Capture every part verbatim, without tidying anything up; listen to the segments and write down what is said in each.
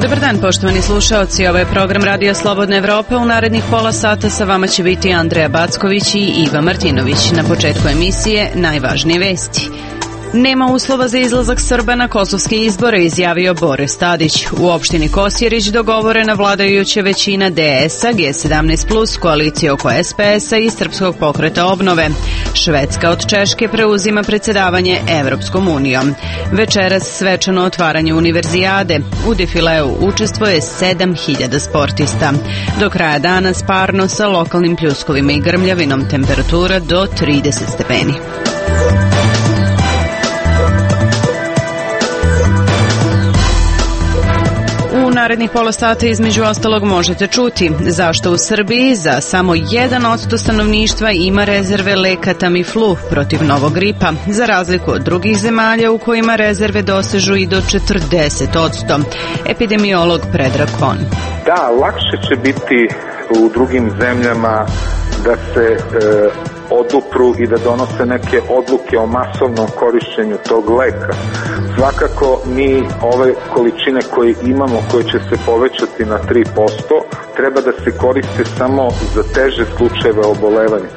Dobar dan, poštovani slušaoci, ovo je program Radio Slobodne Evrope. U narednih pola sata sa vama će biti Andreja Backović i Iva Martinović. Na početku emisije najvažnije vesti. Nema uslova za izlazak Srba na kosovske izbore, izjavio Boris Tadić. U opštini Kosjerić dogovorena vladajuća većina D S-a, G sedamnaest plus, koalicije oko S P S-a i Srpskog pokreta obnove. Švedska od Češke preuzima predsjedavanje Evropskom unijom. Večeras svečano otvaranje univerzijade. U defileu učestvuje sedam hiljada sportista. Do kraja dana sparno sa lokalnim pljuskovima i grmljavinom, temperatura do trideset stepeni. U narednih pola sata između ostalog možete čuti zašto u Srbiji za samo jedan posto stanovništva ima rezerve leka Tamiflu protiv novog gripa, za razliku od drugih zemalja u kojima rezerve dosežu i do četrdeset posto. Epidemiolog Predrag Kon. Da, lakše će biti u drugim zemljama da se e, odupru i da donose neke odluke o masovnom korišćenju tog leka. Svakako mi ove količine koje imamo, koje će se povećati na tri posto, treba da se koriste samo za teže slučajeve obolevanja.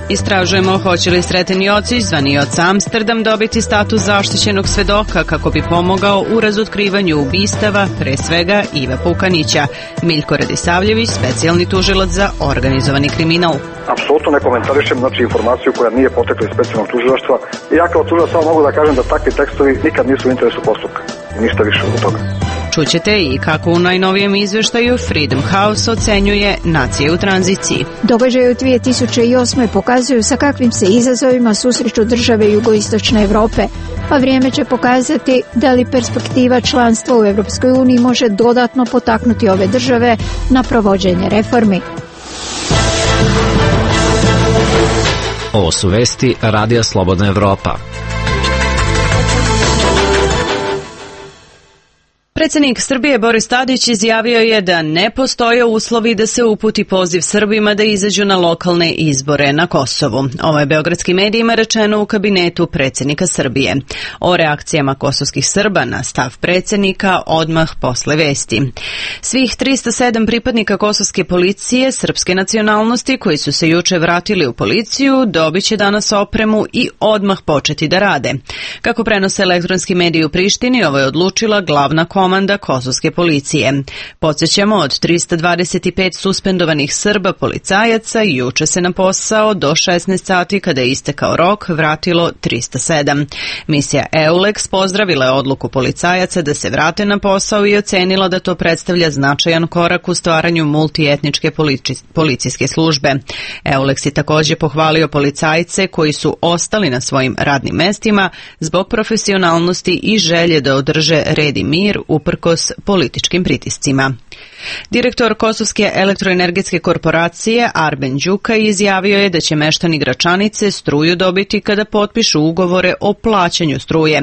Istražujemo hoće li Sreten Jocić, zvani oca Amsterdam, dobiti status zaštićenog svedoka kako bi pomogao u razotkrivanju ubistava, pre svega Iva Pukanića. Miljko Radisavljević, specijalni tužilac za organizovani kriminal. Apsolutno ne komentarišem, znači, informaciju koja nije potekla iz specijalnog tužilaštva. I ja kao tužilac samo mogu da kažem da takvi tekstovi nikad nisu u interesu postupka. Ništa više od toga. Čućete i kako u najnovijem izveštaju Freedom House ocenjuje nacije u tranziciji. Događaje u dvije tisuće osme pokazuju sa kakvim se izazovima susreću države jugoistočne Evrope, a vrijeme će pokazati da li perspektiva članstva u Evropskoj uniji može dodatno potaknuti ove države na provođenje reformi. Ovo su vesti Radija Slobodna Evropa. Predsjednik Srbije Boris Tadić izjavio je da ne postoje uslovi da se uputi poziv Srbima da izađu na lokalne izbore na Kosovu. Ovo je beogradskim medijima rečeno u kabinetu predsjednika Srbije. O reakcijama kosovskih Srba na stav predsjednika odmah posle vesti. Svih tristo sedam pripadnika kosovske policije srpske nacionalnosti koji su se juče vratili u policiju dobit će danas opremu i odmah početi da rade. Kako prenose elektronski mediji u Prištini, ovo je odlučila glavna komanda kosovske policije. Podsjećamo, od tristo dvadeset pet suspendovanih Srba policajaca juče se na posao do šesnaest sati, kada je istekao rok, vratilo tristo sedam. Misija EULEX pozdravila je odluku policajaca da se vrate na posao i ocenila da to predstavlja značajan korak u stvaranju multietničke policijske službe. EULEX je također pohvalio policajce koji su ostali na svojim radnim mestima zbog profesionalnosti i želje da održe red i mir uprkos političkim pritiscima. Direktor Kosovske elektroenergetske korporacije Arben Đuka izjavio je da će meštani Gračanice struju dobiti kada potpišu ugovore o plaćanju struje.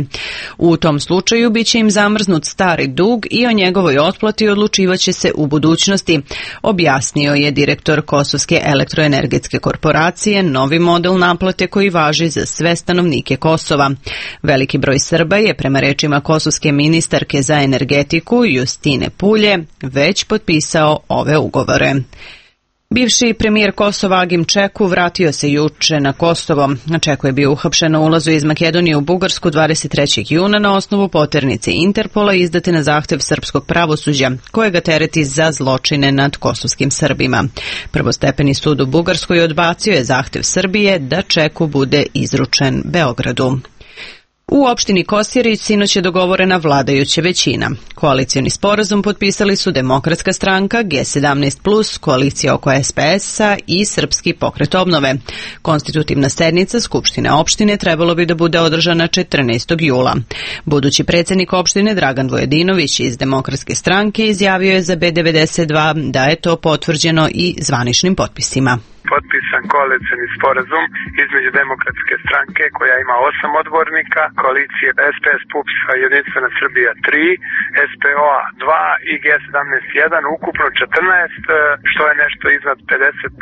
U tom slučaju biće im zamrznut stari dug i o njegovoj otplati odlučivaće se u budućnosti, objasnio je direktor Kosovske elektroenergetske korporacije novi model naplate koji važi za sve stanovnike Kosova. Veliki broj Srba je, prema rečima kosovske ministarke za energetiku Justine Pulje, već potpisao ove ugovore. Bivši premijer Kosova Agim Čeku vratio se juče na Kosovo. Čeku je bio uhapšen na ulazu iz Makedonije u Bugarsku dvadeset trećeg juna na osnovu poternice Interpola izdate na zahtev srpskog pravosuđa, koje ga tereti za zločine nad kosovskim Srbima. Prvostepeni sud u Bugarskoj odbacio je zahtev Srbije da Čeku bude izručen Beogradu. U opštini Kosjerić sinoć je dogovorena vladajuća većina. Koalicioni sporazum potpisali su Demokratska stranka, G sedamnaest plus, koalicija oko S P S-a i Srpski pokret obnove. Konstitutivna sednica Skupštine opštine trebalo bi da bude održana četrnaestog jula. Budući predsjednik opštine Dragan Vujadinović iz Demokratske stranke izjavio je za B devedeset dva da je to potvrđeno i zvaničnim potpisima. Potpisan koalicioni sporazum između Demokratske stranke koja ima osam odbornika, koalicije S P S P U P S Jedinstvena Srbija tri, S P O A dva i G sedamnaest jedan, ukupno četrnaest, što je nešto iznad pedeset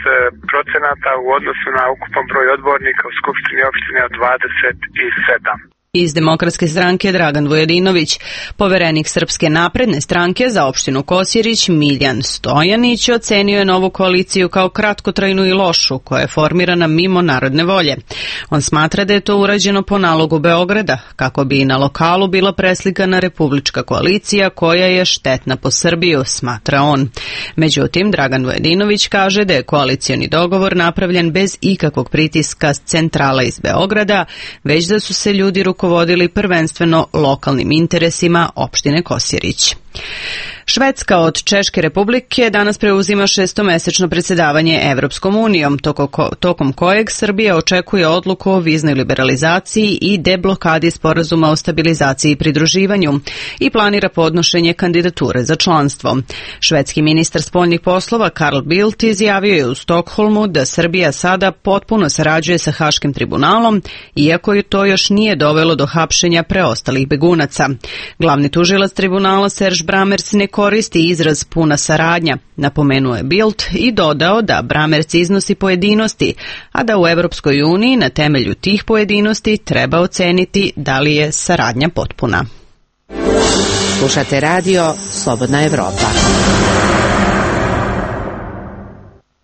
procenata u odnosu na ukupan broj odbornika u Skupštini opštine od dvadeset sedam. Iz Demokratske stranke Dragan Vujadinović, poverenik Srpske napredne stranke za opštinu Kosjerić Miljan Stojanić ocenio je novu koaliciju kao kratkotrajnu i lošu, koja je formirana mimo narodne volje. On smatra da je to urađeno po nalogu Beograda, kako bi i na lokalu bila preslikana republička koalicija koja je štetna po Srbiju, smatra on. Međutim, Dragan Vujadinović kaže da je koalicioni dogovor napravljen bez ikakvog pritiska s centrala iz Beograda, već da su se ljudi rukovodili vodili prvenstveno lokalnim interesima opštine Kosjerić. Švedska od Češke republike danas preuzima šestomesečno predsjedavanje Evropskom unijom, tokom kojeg Srbija očekuje odluku o viznoj liberalizaciji i deblokadi sporazuma o stabilizaciji i pridruživanju i planira podnošenje kandidature za članstvo. Švedski ministar spoljnih poslova Carl Bildt izjavio je u Stokholmu da Srbija sada potpuno sarađuje sa Haškim tribunalom, iako je to još nije dovelo do hapšenja preostalih begunaca. Glavni tužilac tribunala Serge Brammertz ne koristi izraz puna saradnja, napomenuo je Bildt i dodao da Brammertz iznosi pojedinosti, a da u Evropskoj uniji na temelju tih pojedinosti treba oceniti da li je saradnja potpuna. Slušate radio Slobodna Evropa.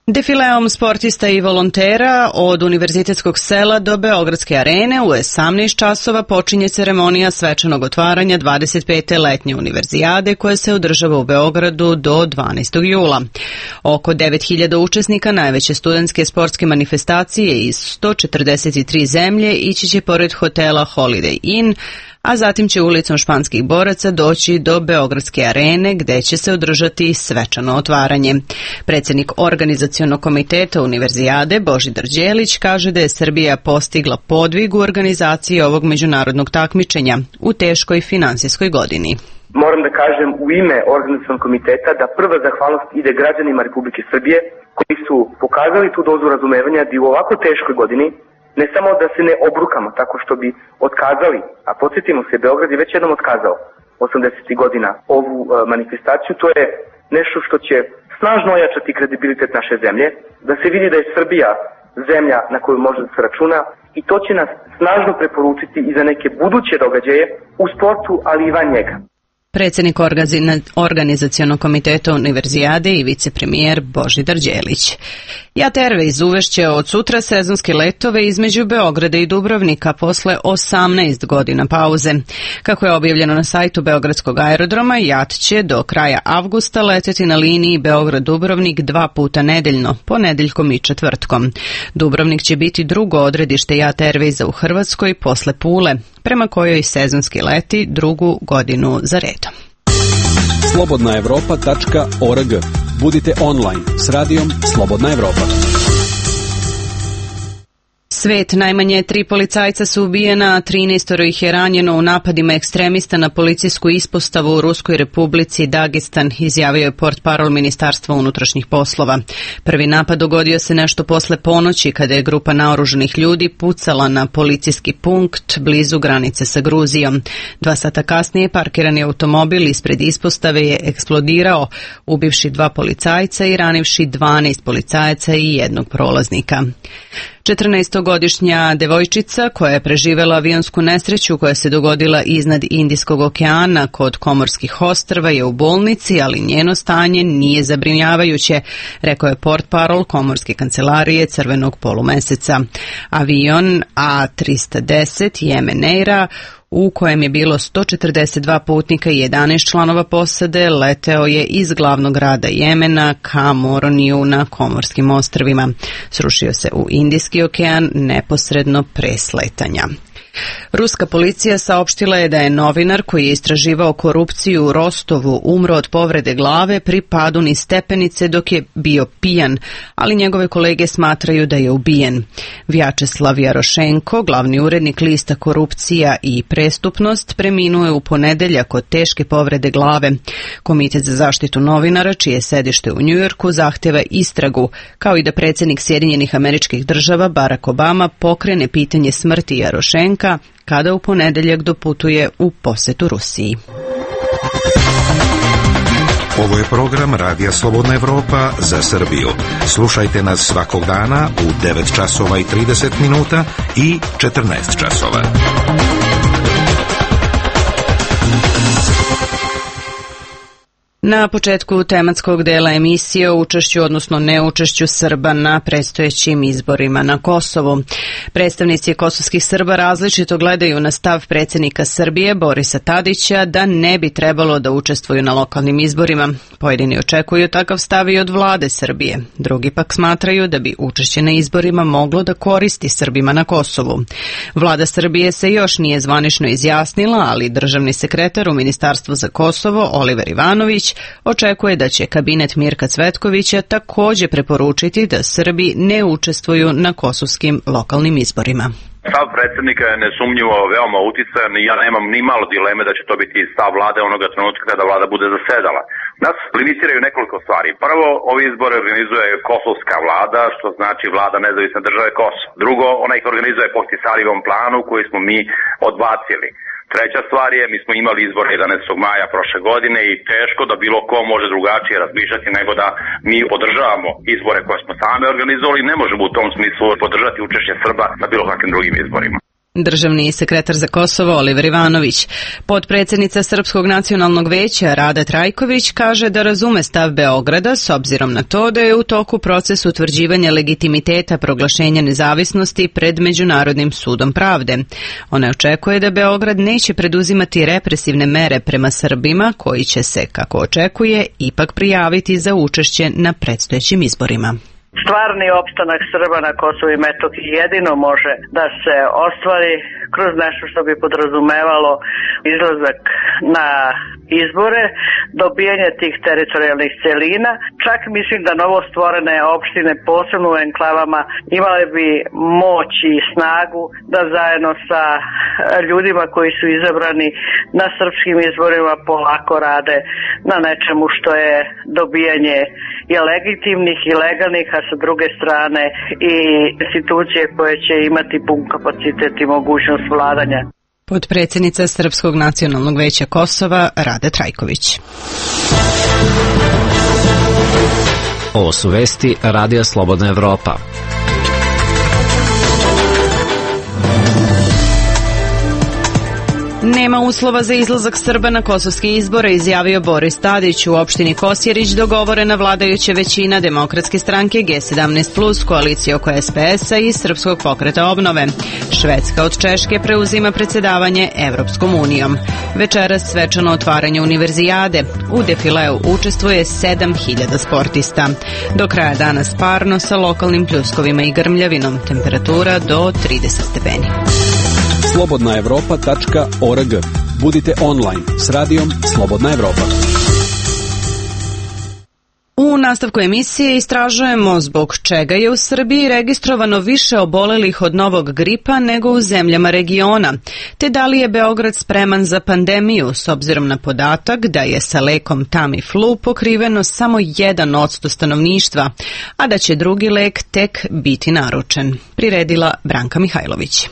Defileom sportista i volontera od Univerzitetskog sela do Beogradske arene u osamnaest časova počinje ceremonija svečanog otvaranja dvadeset pete letnje univerzijade koja se održava u Beogradu do dvanaestog jula. Oko devet hiljada učesnika najveće studentske sportske manifestacije iz sto četrdeset tri zemlje ići će pored hotela Holiday Inn, a zatim će ulicom Španskih boraca doći do Beogradske arene gde će se održati svečano otvaranje. Predsjednik organizacionog komiteta univerzijade Božidar Đelić kaže da je Srbija postigla podvig u organizaciji ovog međunarodnog takmičenja u teškoj finansijskoj godini. Moram da kažem u ime organizacionog komiteta da prva zahvalnost ide građanima Republike Srbije koji su pokazali tu dozu razumevanja da u ovako teškoj godini ne samo da se ne obrukamo tako što bi otkazali, a podsjetimo se, Beograd je već jednom otkazao osamdesetih godina ovu uh, manifestaciju, to je nešto što će snažno ojačati kredibilitet naše zemlje, da se vidi da je Srbija zemlja na koju može da se računa i to će nas snažno preporučiti i za neke buduće događaje u sportu, ali i van njega. Predsjednik organizacionog komiteta univerzijade i vicepremijer Božidar Đelić. JAT Airways uvešće od sutra sezonske letove između Beograda i Dubrovnika posle osamnaest godina pauze. Kako je objavljeno na sajtu Beogradskog aerodroma, JAT će do kraja avgusta leteti na liniji Beograd-Dubrovnik dva puta nedeljno, ponedeljkom i četvrtkom. Dubrovnik će biti drugo odredište JAT Airwaysa u Hrvatskoj posle Pule, prema kojoj sezonski leti drugu godinu za redom. slobodna evropa tačka org. Budite online s radijom Slobodna Evropa. Svet, najmanje tri policajca su ubijena, a trinaestoro ih je ranjeno u napadima ekstremista na policijsku ispostavu u Ruskoj republici Dagestan, izjavio je portparol Ministarstva unutrašnjih poslova. Prvi napad dogodio se nešto posle ponoći kada je grupa naoružanih ljudi pucala na policijski punkt blizu granice sa Gruzijom. Dva sata kasnije parkirani automobil ispred ispostave je eksplodirao, ubivši dva policajca i ranivši dvanaest policajaca i jednog prolaznika. četrnaestogodišnja devojčica koja je preživela avionsku nesreću koja se dogodila iznad Indijskog okeana kod Komorskih ostrva je u bolnici, ali njeno stanje nije zabrinjavajuće, rekao je portparol Komorske kancelarije Crvenog polumeseca. Avion A tristo deset Yemen Aira, u kojem je bilo sto četrdeset dva putnika i jedanaest članova posade, leteo je iz glavnog grada Jemena ka Moroniju na Komorskim ostrvima. Srušio se u Indijski okean neposredno pre sletanja. Ruska policija saopštila je da je novinar koji je istraživao korupciju u Rostovu umro od povrede glave pri padu niz stepenice dok je bio pijan, ali njegove kolege smatraju da je ubijen. Vjačeslav Jarošenko, glavni urednik lista Korupcija i prestupnost, preminuo je u ponedeljak od teške povrede glave. Komitet za zaštitu novinara, čije sedište u Njujorku, zahteva istragu, kao i da predsjednik Sjedinjenih Američkih Država Barack Obama pokrene pitanje smrti Jarošenka kada u ponedeljak doputuje u posetu Rusiji. Ovo je program Radija Slobodna Evropa za Srbiju. Slušajte nas svakog dana u devet časova i trideset minuta i četrnaest časova. Na početku tematskog dela emisije o učešću, odnosno neučešću Srba na predstojećim izborima na Kosovu. Predstavnici kosovskih Srba različito gledaju na stav predsjednika Srbije Borisa Tadića da ne bi trebalo da učestvuju na lokalnim izborima. Pojedini očekuju takav stav i od vlade Srbije. Drugi pak smatraju da bi učešće na izborima moglo da koristi Srbima na Kosovu. Vlada Srbije se još nije zvanično izjasnila, ali državni sekretar u Ministarstvu za Kosovo Oliver Ivanović očekuje da će kabinet Mirka Cvetkovića također preporučiti da Srbi ne učestvuju na kosovskim lokalnim izborima. Stav predsjednika je nesumnjivo veoma uticajan i ja nemam ni malo dileme da će to biti stav vlade onoga trenutka kada vlada bude zasedala. Nas limitiraju nekoliko stvari. Prvo, ovi izbore organizuje kosovska vlada, što znači vlada nezavisne države Kosovo. Drugo, ona ih organizuje po Tisarijevom planu koji smo mi odbacili. Treća stvar je, mi smo imali izbor jedanaestog maja prošle godine i teško da bilo ko može drugačije razmišljati nego da mi podržavamo izbore koje smo sami organizovali i ne možemo u tom smislu podržati učešće Srba na bilo kakvim drugim izborima. Državni sekretar za Kosovo Oliver Ivanović. Potpredsjednica Srpskog nacionalnog veća Rada Trajković kaže da razume stav Beograda s obzirom na to da je u toku proces utvrđivanja legitimiteta proglašenja nezavisnosti pred Međunarodnim sudom pravde. Ona očekuje da Beograd neće preduzimati represivne mere prema Srbima koji će se, kako očekuje, ipak prijaviti za učešće na predstojećim izborima. Stvarni opstanak Srba na Kosovu i Metohiji jedino može da se ostvari kroz nešto što bi podrazumevalo izlazak na izbore, dobijanje tih teritorijalnih celina. Čak mislim da novo stvorene opštine, posebno u enklavama, imale bi moć i snagu da zajedno sa ljudima koji su izabrani na srpskim izborima polako rade na nečemu što je dobijanje i legitimnih i legalnih, a sa druge strane i institucije koje će imati pun kapacitet i mogućnost vladanja. Potpredsjednica Srpskog nacionalnog veća Kosova Rada Trajković. Ovo su vesti Radija Slobodna Evropa. Nema uslova za izlazak Srba na kosovske izbore, izjavio Boris Tadić. U opštini Kosjerić dogovorena vladajuća većina Demokratske stranke G sedamnaest plus, koalicije oko S P S-a i Srpskog pokreta obnove. Švedska od Češke preuzima predsjedavanje Evropskom unijom. Večeras svečano otvaranje univerzijade. U defileu učestvuje sedam hiljada sportista. Do kraja dana parno sa lokalnim pljuskovima i grmljavinom. Temperatura do trideset stepeni. slobodna evropa tačka org. Budite online s radijom Slobodna Evropa. U nastavku emisije istražujemo zbog čega je u Srbiji registrovano više obolelih od novog gripa nego u zemljama regiona, te da li je Beograd spreman za pandemiju s obzirom na podatak da je sa lekom Tamiflu pokriveno samo jedan odsto stanovništva, a da će drugi lek tek biti naručen. Priredila Branka Mihajlović.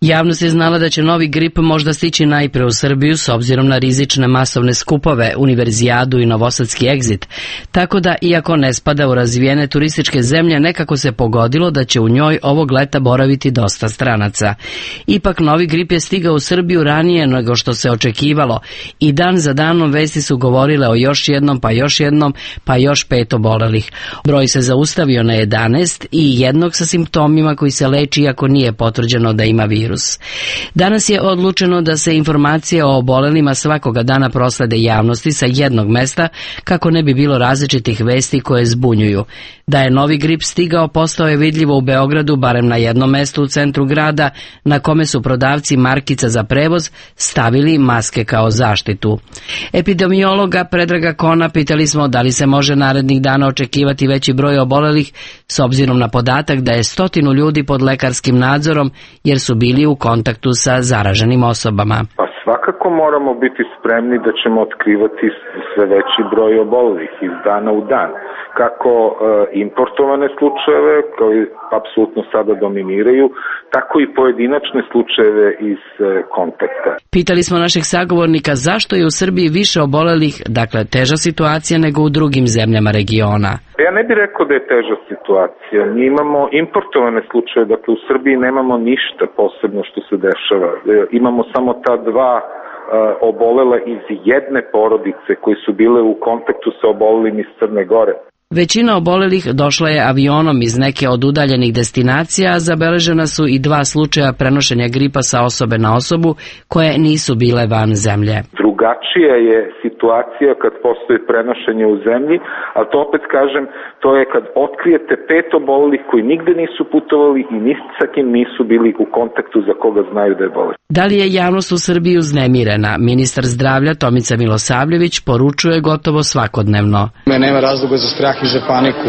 Javnost je znala da će novi grip možda stići najpre u Srbiju s obzirom na rizične masovne skupove, univerzijadu i novosadski egzit, tako da, iako ne spada u razvijene turističke zemlje, nekako se pogodilo da će u njoj ovog leta boraviti dosta stranaca. Ipak, novi grip je stigao u Srbiju ranije nego što se očekivalo i dan za danom vesti su govorile o još jednom, pa još jednom, pa još pet obolelih. Broj se zaustavio na jedanaest i jednog sa simptomima koji se leči iako nije potvrđeno da ima virus. virus. Danas je odlučeno da se informacije o obolelima svakoga dana proslede javnosti sa jednog mesta kako ne bi bilo različitih vesti koje zbunjuju. Da je novi grip stigao postao je vidljivo u Beogradu, barem na jednom mestu u centru grada, na kome su prodavci markica za prevoz stavili maske kao zaštitu. Epidemiologa Predraga Kona pitali smo da li se može narednih dana očekivati veći broj obolelih s obzirom na podatak da je stotinu ljudi pod lekarskim nadzorom jer su bili u kontaktu sa zaraženim osobama. Pa svakako moramo biti spremni da ćemo otkrivati sve veći broj obolelih iz dana u dan. Kako e, importovane slučajeve, koji apsolutno sada dominiraju, tako i pojedinačne slučajeve iz e, kontakta. Pitali smo našeg sagovornika zašto je u Srbiji više obolelih, dakle teža situacija nego u drugim zemljama regiona. Ja ne bih rekao da je teža situacija. Mi imamo importovane slučaje, dakle u Srbiji nemamo ništa posebno što se dešava. E, imamo samo ta dva e, obolela iz jedne porodice koji su bile u kontaktu sa obolelim iz Crne Gore. Većina obolelih došla je avionom iz neke od udaljenih destinacija, a zabeležena su i dva slučaja prenošenja gripa sa osobe na osobu koje nisu bile van zemlje. Drugačija je situacija kad postoji prenošenje u zemlji, ali to opet kažem, to je kad otkrijete pet obolelih koji nigde nisu putovali i ni sa kim nisu bili u kontaktu za koga znaju da je bolest. Da li je javnost u Srbiji uznemirena? Ministar zdravlja Tomica Milosavljević poručuje gotovo svakodnevno. Nema razloga za strah i za paniku.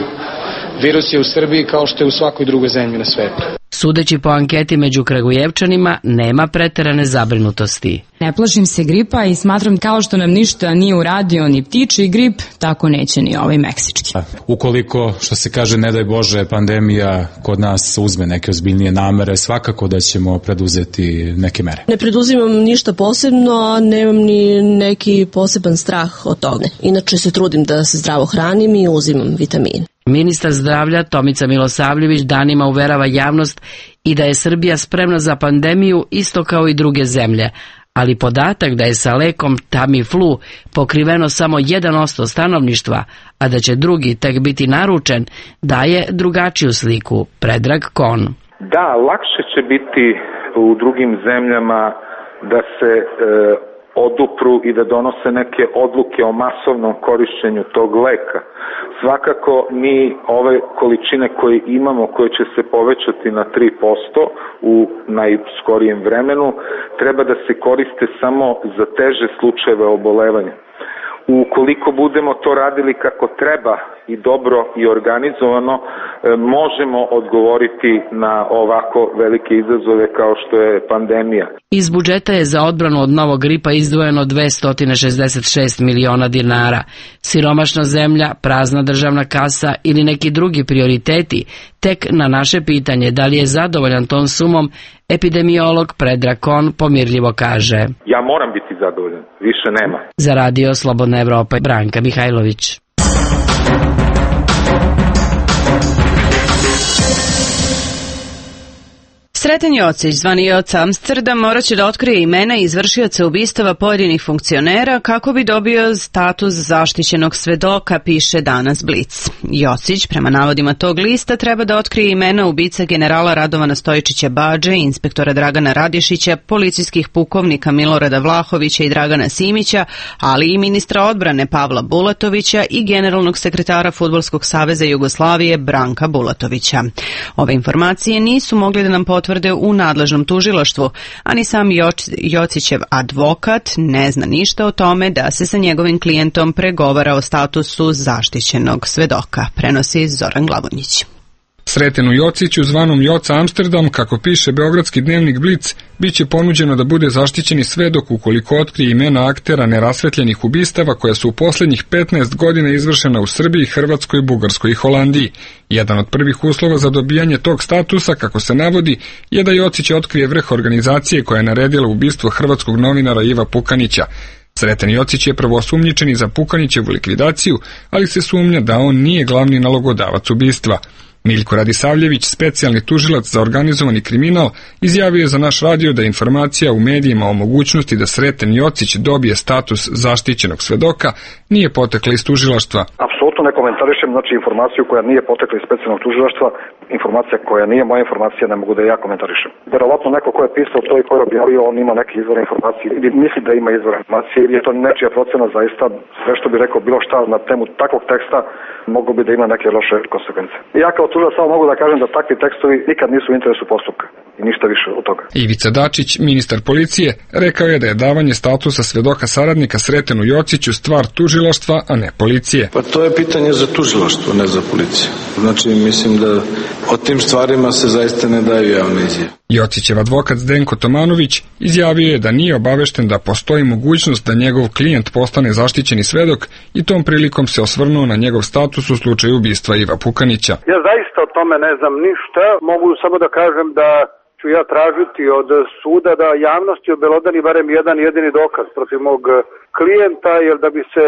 Virus je u Srbiji kao što je u svakoj drugoj zemlji na svetu. Sudeći po anketi među Kragujevčanima, nema preterane zabrinutosti. Ne plašim se gripa i smatram kao što nam ništa nije uradio ni ptičji grip, tako neće ni ovaj meksički. Ukoliko, što se kaže, ne daj Bože, pandemija kod nas uzme neke ozbiljnije namere, svakako da ćemo preduzeti neke mere. Ne preduzimam ništa posebno, a nemam ni neki poseban strah od toga. Inače se trudim da se zdravo hranim i uzimam vitamine. Ministar zdravlja Tomica Milosavljević danima uverava javnost i da je Srbija spremna za pandemiju isto kao i druge zemlje, ali podatak da je sa lekom Tamiflu pokriveno samo jedan posto stanovništva, a da će drugi tek biti naručen, daje drugačiju sliku. Predrag Kon. Da, lakše će biti u drugim zemljama da se e, odupru i da donose neke odluke o masovnom korišćenju tog leka. Svakako mi ove količine koje imamo, koje će se povećati na tri posto u najskorijem vremenu, treba da se koriste samo za teže slučajeve obolevanja. Ukoliko budemo to radili kako treba i dobro i organizovano, možemo odgovoriti na ovako velike izazove kao što je pandemija. Iz budžeta je za odbranu od novog gripa izdvojeno dvesta šezdeset šest miliona dinara. Siromašna zemlja, prazna državna kasa ili neki drugi prioriteti, tek na naše pitanje da li je zadovoljan tom sumom, epidemiolog Predrag Kon pomirljivo kaže: Ja moram biti zadovoljan, više nema. Za Radio Slobodna Evropa, Branka Mihajlović. Sreten Jocić, zvani Joc Amsterdam, morat će da otkrije imena izvršioca ubistava pojedinih funkcionera kako bi dobio status zaštićenog svedoka, piše danas Blic. Jocić, prema navodima tog lista, treba da otkrije imena ubica generala Radovana Stojičića Badže, inspektora Dragana Radišića, policijskih pukovnika Milorada Vlahovića i Dragana Simića, ali i ministra odbrane Pavla Bulatovića i generalnog sekretara Fudbalskog saveza Jugoslavije Branka Bulatovića. Ove informacije nisu mogli da nam potvrde u nadležnom tužilaštvu, a ni sam Jocićev advokat ne zna ništa o tome da se sa njegovim klijentom pregovara o statusu zaštićenog svedoka, prenosi Zoran Glavonjić. Sretenu Jociću, zvanom Joca Amsterdam, kako piše beogradski dnevnik Blic, bit će ponuđeno da bude zaštićeni svedok ukoliko otkrije imena aktera nerasvetljenih ubistava koja su u posljednjih petnaest godina izvršena u Srbiji, Hrvatskoj, Bugarskoj i Holandiji. Jedan od prvih uslova za dobijanje tog statusa, kako se navodi, je da Jocić otkrije vrh organizacije koja je naredila ubistvo hrvatskog novinara Iva Pukanića. Sreten Jocić je prvo osumnjičen za Pukanićevu likvidaciju, ali se sumnja da on nije glavni nalogodavac ubistva. Miljko Radisavljević, specijalni tužilac za organizovani kriminal, izjavio je za naš radio da informacija u medijima o mogućnosti da Sreten Jocić dobije status zaštićenog svedoka nije potekla iz tužilaštva. Apsolutno ne komentarišem, znači informaciju koja nije potekla iz specijalnog tužilaštva, informacija koja nije moja informacija, ne mogu da ja komentarišem. Verovatno neko ko je pisao to i ko je objavio, on ima neke izvore informacije ili misli da ima izvore informacije ili je to nečija procena, zaista sve što bi rekao bilo šta na temu takvog teksta moglo bi da ima neke loše konsekvence. Ja kao tužilac samo mogu da kažem da takvi tekstovi nikad nisu u interesu postupka i ništa više od toga. Ivica Dačić, ministar policije, rekao je da je davanje statusa svedoka saradnika Sretenu Jociću stvar tužilaštva, a ne policije. Pa to je pitanje za tužilaštvo, ne za policiju. Znači, mislim da o tim stvarima se zaista ne daju javne izjave. Jocićev advokat Zdenko Tomanović izjavio je da nije obavešten da postoji mogućnost da njegov klijent postane zaštićeni svedok i tom prilikom se osvrnuo na njegov status u slučaju ubistva Iva Pukanića. Ja zaista o tome ne znam ništa, mogu samo da kažem da ću ja tražiti od suda da javnosti obelodani barem jedan jedini dokaz protiv mog klijenta, jer da bi se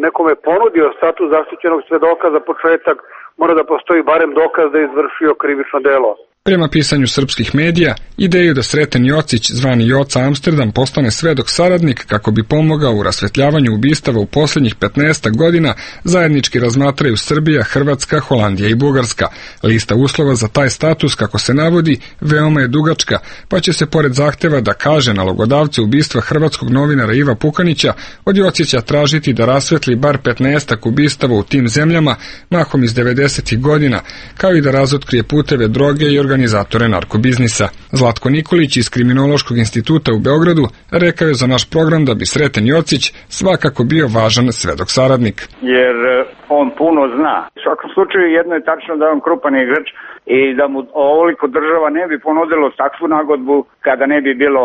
nekome ponudio status zaštićenog svedoka za početak, mora da postoji barem dokaz da je izvršio krivično delo. Prema pisanju srpskih medija, ideju da Sreten Jocić, zvani Joca Amsterdam, postane svedok saradnik kako bi pomogao u rasvetljavanju ubistava u posljednjih petnaest godina, zajednički razmatraju Srbija, Hrvatska, Holandija i Bugarska. Lista uslova za taj status, kako se navodi, veoma je dugačka, pa će se pored zahteva da kaže nalogodavce ubistva hrvatskog novinara Iva Pukanića od Jocića tražiti da rasvetli bar petnaest ubistava u tim zemljama, mahom iz devedesetih godina, kao i da razotkrije puteve droge i organizatore narkobiznisa. Zlatko Nikolić iz Kriminološkog instituta u Beogradu rekao je za naš program da bi Sreten Jocić svakako bio važan svedok saradnik. Jer on puno zna. U svakom slučaju jedno je tačno da je on krupan igrač i da mu ovoliko država ne bi ponudilo takvu nagodbu kada ne bi bilo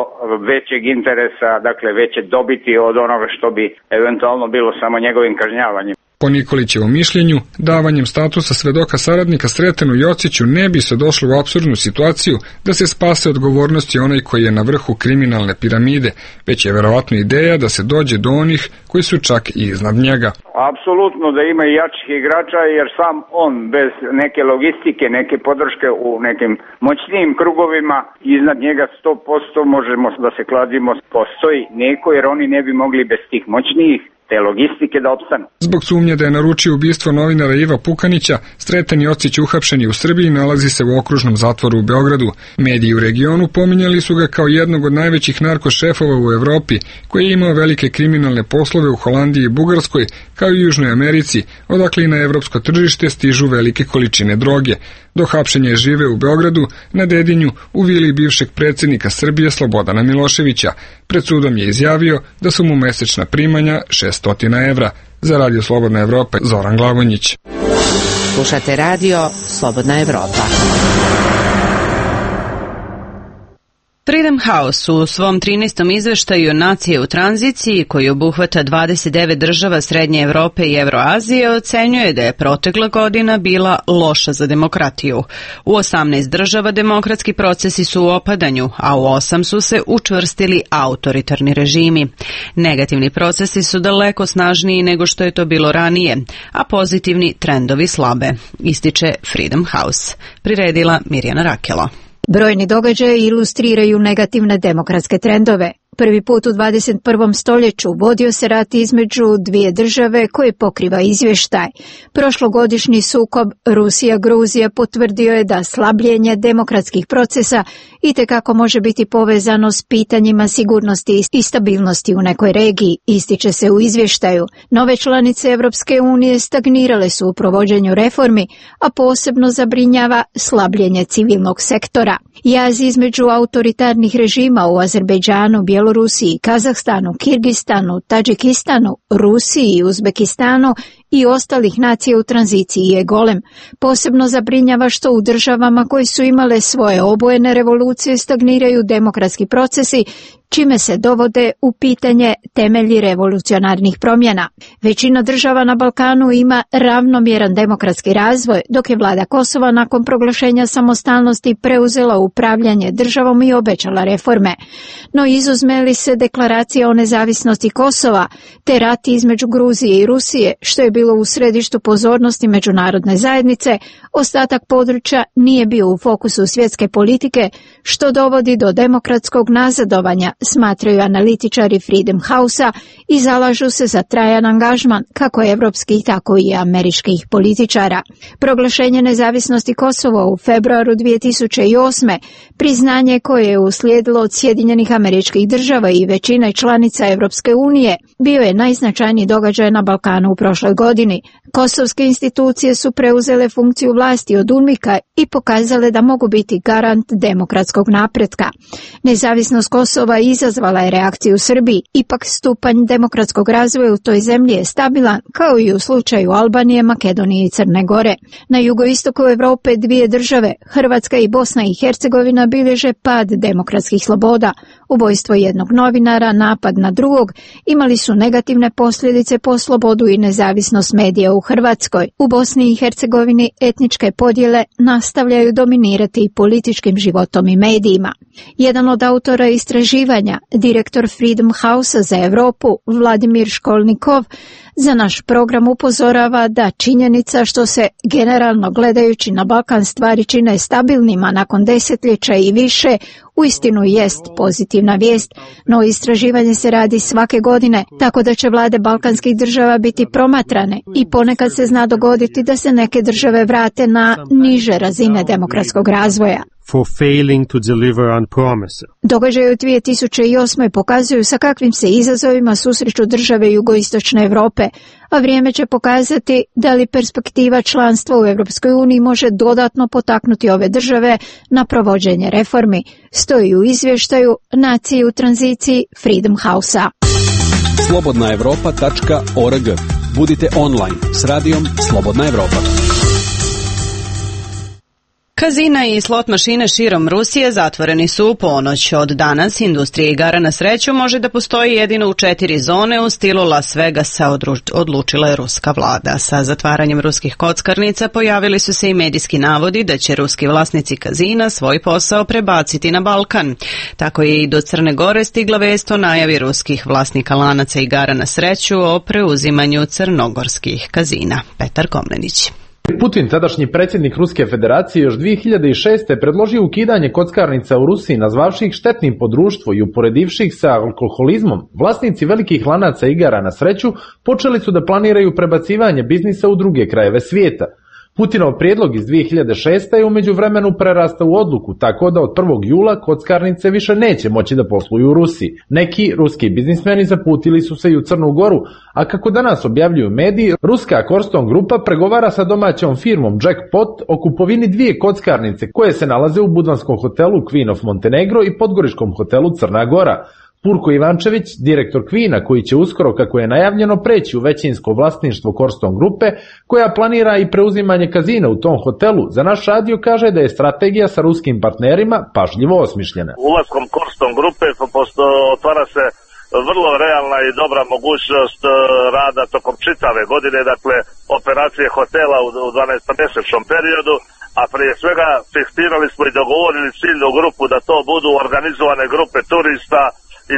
većeg interesa, dakle veće dobiti od onoga što bi eventualno bilo samo njegovim kažnjavanjem. Po Nikolićevom mišljenju, davanjem statusa svedoka saradnika Sretenu Jociću ne bi se došlo u apsurdnu situaciju da se spase odgovornosti onaj koji je na vrhu kriminalne piramide, već je verovatno ideja da se dođe do onih koji su čak i iznad njega. Apsolutno da ima i jačih igrača, jer sam on bez neke logistike, neke podrške u nekim moćnijim krugovima, iznad njega sto posto možemo da se kladimo, postoji neko, jer oni ne bi mogli bez tih moćnijih te logistike da opstanu. Zbog sumnje da je naručio ubistvo novinara Iva Pukanića, Sreten Jocić uhapšen je u Srbiji, nalazi se u okružnom zatvoru u Beogradu. Mediji u regionu pominjali su ga kao jednog od najvećih narkošefova u Evropi, koji je imao velike kriminalne poslove u Holandiji i Bugarskoj, kao i Južnoj Americi, odakle i na evropsko tržište stižu velike količine droge. Do hapšenja je živeo u Beogradu, na Dedinju, u vili bivšeg predsjednika Srbije Slobodana Miloševića. Pred sudom je izjavio da su mu mesečna primanja šessto evra. Za Radio Slobodna Evropa, Zoran Glavonjić. Slušate radio Slobodna Evropa. Freedom House u svom trinaestom izveštaju Nacije u tranziciji, koji obuhvata dvadeset devet država Srednje Evrope i Evroazije, ocenjuje da je protekla godina bila loša za demokratiju. U osamnaest država demokratski procesi su u opadanju, a u osam su se učvrstili autoritarni režimi. Negativni procesi su daleko snažniji nego što je to bilo ranije, a pozitivni trendovi slabe, ističe Freedom House. Priredila Mirjana Rakelo. Brojni događaji ilustriraju negativne demokratske trendove. Prvi put u dvadeset prvom stoljeću vodio se rat između dvije države koje pokriva izvještaj. Prošlogodišnji sukob Rusija-Gruzija potvrdio je da slabljenje demokratskih procesa itekako može biti povezano s pitanjima sigurnosti i stabilnosti u nekoj regiji, ističe se u izvještaju. Nove članice Evropske unije stagnirale su u provođenju reformi, a posebno zabrinjava slabljenje civilnog sektora. Jaz između autoritarnih režima u Azerbejdžanu, Bjelorusiji, Kazahstanu, Kirgistanu, Tadžikistanu, Rusiji i Uzbekistanu i ostalih nacija u tranziciji je golem. Posebno zabrinjava što u državama koji su imale svoje obojene revolucije stagniraju demokratski procesi, čime se dovode u pitanje temelji revolucionarnih promjena. Većina država na Balkanu ima ravnomjeran demokratski razvoj, dok je vlada Kosova nakon proglašenja samostalnosti preuzela upravljanje državom i obećala reforme. No izuzme li se deklaracija o nezavisnosti Kosova, te rat između Gruzije i Rusije, što je bilo bilo u središtu pozornosti međunarodne zajednice, ostatak područja nije bio u fokusu svjetske politike, što dovodi do demokratskog nazadovanja, smatraju analitičari Freedom House-a i zalažu se za trajan angažman kako evropskih, tako i američkih političara. Proglašenje nezavisnosti Kosova u februaru dvije tisuće osme, priznanje koje je uslijedilo od Sjedinjenih Američkih Država i većine članica Evropske unije, bio je najznačajniji događaj na Balkanu u prošloj godini. Kosovske institucije su preuzele funkciju vlasti od UNMIK-a i pokazale da mogu biti garant demokratskog napretka. Nezavisnost Kosova izazvala je reakciju u Srbiji, ipak stupanj demokratskog razvoja u toj zemlji je stabilan, kao i u slučaju Albanije, Makedonije i Crne Gore. Na jugoistoku Evrope dvije države, Hrvatska i Bosna i Hercegovina, bilježe pad demokratskih sloboda. Ubojstvo jednog novinara, napad na drugog, imali su negativne posljedice po slobodu i nezavisnost medija u Hrvatskoj. U Bosni i Hercegovini etničke podjele nastavljaju dominirati političkim životom i medijima. Jedan od autora istraživanja, direktor Freedom House-a za Europu, Vladimir Školnikov, za naš program upozorava da činjenica što se generalno gledajući na Balkan stvari čine stabilnima nakon desetljeća i više, uistinu jest pozitivna vijest, no istraživanje se radi svake godine, tako da će vlade balkanskih država biti promatrane i ponekad se zna dogoditi da se neke države vrate na niže razine demokratskog razvoja. For failing to deliver on promises. Događaji u dvije tisuće osme pokazuju sa kakvim se izazovima susreću države jugoistočne Europe, a vrijeme će pokazati da li perspektiva članstva u Europskoj uniji može dodatno potaknuti ove države na provođenje reformi, stoji u izvještaju Nacije u tranziciji Freedom House-a. slobodna evropa tačka org. Budite online s radijom Slobodna Evropa. Kazina i slot mašine širom Rusije zatvoreni su u ponoć. Od danas industrija igara na sreću može da postoji jedino u četiri zone u stilu Las Vegasa, odlučila je ruska vlada. Sa zatvaranjem ruskih kockarnica pojavili su se i medijski navodi da će ruski vlasnici kazina svoj posao prebaciti na Balkan. Tako je i do Crne Gore stigla vest o najavi ruskih vlasnika lanaca igara na sreću o preuzimanju crnogorskih kazina. Petar Komnenić. Putin, tadašnji predsjednik Ruske federacije, još dvije hiljade šeste. predložio ukidanje kockarnica u Rusiji, nazvavši ih štetnim po društvu i uporedivši ih sa alkoholizmom. Vlasnici velikih lanaca igara na sreću počeli su da planiraju prebacivanje biznisa u druge krajeve svijeta. Putinov prijedlog iz dvije hiljade šeste. je u međuvremenu prerastao u odluku, tako da od prvog jula kockarnice više neće moći da posluju u Rusiji. Neki ruski biznismeni zaputili su se i u Crnu Goru, a kako danas objavljuju mediji, ruska Korston grupa pregovara sa domaćom firmom Jackpot o kupovini dvije kockarnice koje se nalaze u budvanskom hotelu Queen of Montenegro i podgoričkom hotelu Crna Gora. Purko Ivančević, direktor Kvina, koji će uskoro, kako je najavljeno, preći u većinsko vlasništvo Korston grupe, koja planira i preuzimanje kazina u tom hotelu, za naš radio kaže da je strategija sa ruskim partnerima pažljivo osmišljena. Ulaskom Korston grupe otvara se vrlo realna i dobra mogućnost rada tokom čitave godine, dakle operacije hotela u dvanaestomjesečnom periodu, a prije svega fiksirali smo i dogovorili ciljnu grupu da to budu organizovane grupe turista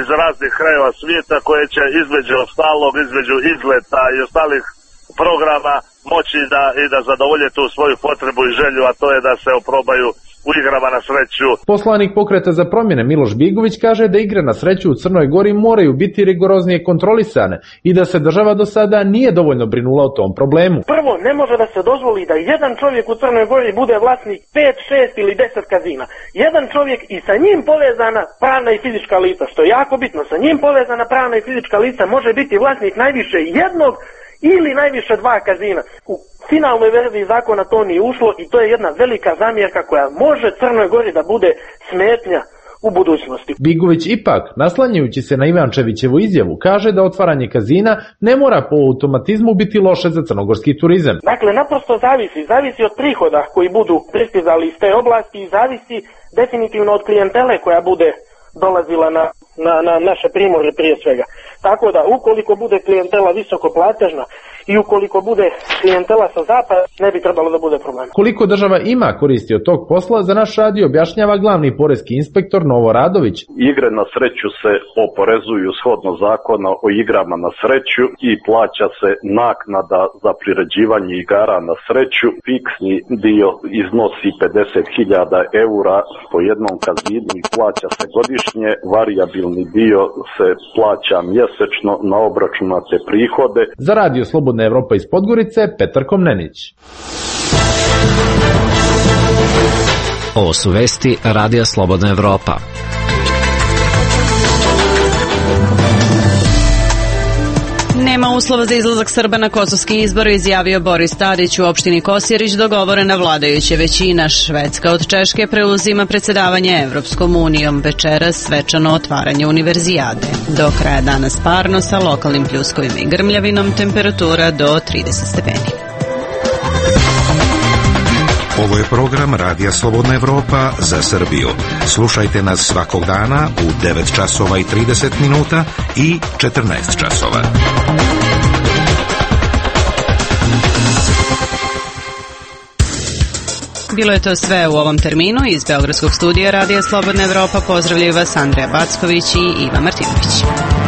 iz raznih krajeva svijeta koje će između ostalog, između izleta i ostalih programa moći da i da zadovolje tu svoju potrebu i želju, a to je da se oprobaju u igrama na sreću. Poslanik Pokreta za promjene Miloš Bigović kaže da igre na sreću u Crnoj Gori moraju biti rigoroznije kontrolisane i da se država do sada nije dovoljno brinula o tom problemu. Prvo, ne može da se dozvoli da jedan čovjek u Crnoj Gori bude vlasnik pet, šest ili deset kazina. Jedan čovjek i sa njim povezana pravna i fizička lica, što je jako bitno. Sa njim povezana pravna i fizička lica može biti vlasnik najviše jednog ili najviše dva kazina. U finalnoj verziji zakona to nije ušlo i to je jedna velika zamjerka koja može Crnoj Gori da bude smetnja u budućnosti. Bigović ipak, naslanjajući se na Ivančevićevu izjavu, kaže da otvaranje kazina ne mora po automatizmu biti loše za crnogorski turizam. Dakle, naprosto zavisi, zavisi od prihoda koji budu pristizali iz te oblasti i zavisi definitivno od klijentele koja bude dolazila na, na, na naše primorje prije svega. Tako da, ukoliko bude klijentela visoko platežna i ukoliko bude klijentela sa zapada, ne bi trebalo da bude problem. Koliko država ima koristi od tog posla, za naš radio objašnjava glavni poreski inspektor Novo Radović. Igre na sreću se oporezuju shodno zakona o igrama na sreću i plaća se naknada za priređivanje igara na sreću. Fiksni dio iznosi pedeset hiljada eura po jednom kazinu i plaća se godišnje. Varijabilni dio se plaća mjesečno na obračunate prihode. Za radio Slobodna Evropa iz Podgorice, Petar Komnenić. Ovo su vesti Radija Slobodna Evropa. Nema uslova za izlazak Srba na kosovski izbor, izjavio Boris Tadić. U opštini Kosjerić dogovorena vladajuća većina. Švedska od Češke preuzima predsjedavanje Evropskom unijom. Večeras svečano otvaranje univerzijade. Do kraja dana parno sa lokalnim pljuskovima i grmljavinom, temperatura do trideset stepeni. Ovo je program Radija Slobodna Evropa za Srbiju. Slušajte nas svakog dana u devet časova i trideset minuta i četrnaest časova. Bilo je to sve u ovom terminu. Iz Beogradskog studija Radija Slobodna Evropa pozdravljaju vas Andreja Backović i Iva Martinović.